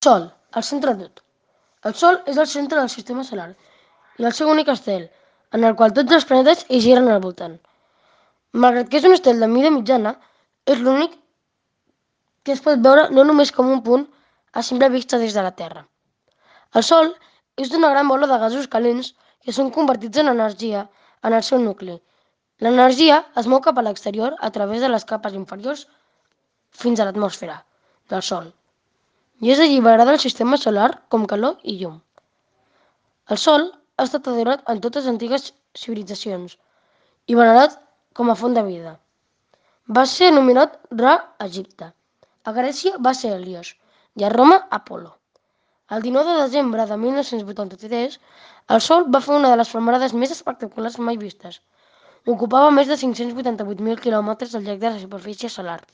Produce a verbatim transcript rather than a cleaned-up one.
Sol, al centre de tot. El Sol és el centre del sistema solar i el seu únic estel, en el qual tots els planetes hi giren al voltant. Malgrat que és un estel de mida mitjana, és l'únic que es pot veure no només com un punt a simple vista des de la Terra. El Sol és una gran bola de gasos calents que són convertits en energia en el seu nucli. L'energia es mou cap a l'exterior a través de les capes inferiors fins a l'atmosfera del Sol i és alliberada al sistema solar com calor i llum. El Sol ha estat adorat en totes les antigues civilitzacions i venerat com a font de vida. Va ser anomenat Ra a Egipte, a Grècia va ser Helios i a Roma Apol·lo. El dinou de desembre de mil nou-cents vuitanta-tres, el Sol va fer una de les flamarades més espectaculars mai vistes. Ocupava més de cinc-cents vuitanta-vuit mil quilòmetres al llarg de la superfície solar.